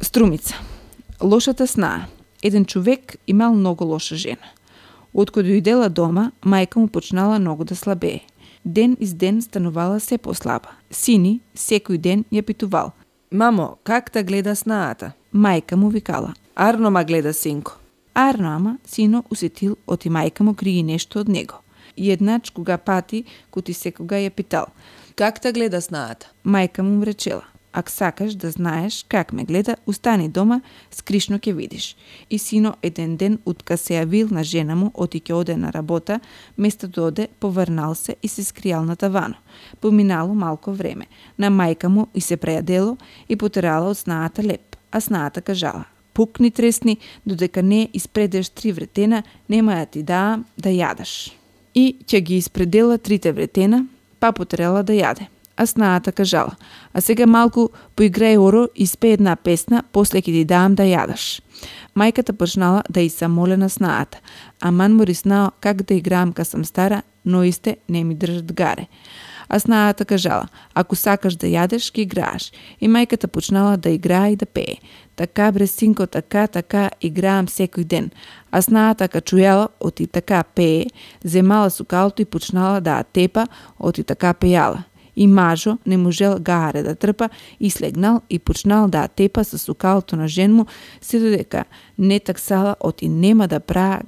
Струмица. Лошата снаа. Еден човек имал многу лоша жена. Откако дојдела дома, мајка му почнала многу да слабее. Ден из ден станувала се послаба. Сини секој ден ја питувал: Мамо, как та гледа снаата? Мајка му викала: Арно ма гледа, синко. Арно, ама сино усетил оти мајка му криги нешто од него. Еднач кога пати, кути секога ја питал: Как та гледа снаата? Мајка му речела: Ако сакаш да знаеш как ме гледа, устани дома, скришно ќе видиш. И сино еден ден утка се јавил на жена му, оти ќе оде на работа, место да оде, поврнал се и се скријал на тавано. Поминало малко време. На мајка му и се прејадело и потерала од снаата леп, а снаата кажала: Пукни тресни, додека не испредеш 3 вретена, нема да ти даам да јадеш. И ќе ги испредела 3 вретена, па потерала да јаде. А снаата кажала: А сега малку поиграј оро и спе една песна, после ќе ти дам да јадеш. Мајката почнала да и самоле на снаата: Аман мори снao как да играам ка сам стара, но исте не ми држат гаре. А снаата кажала: Ако сакаш да јадеш, ќе играеш. И мајката почнала да играе и да пее: Така бре синко, така играам секој ден. А снаата ка чујала оти така пее, земала сукалото и почнала да тепа оти така пејала. И мажо не можел гаре да трпа и слегнал и почнал да тепа со сукалото на жен му, се додека не таксала оти нема да пра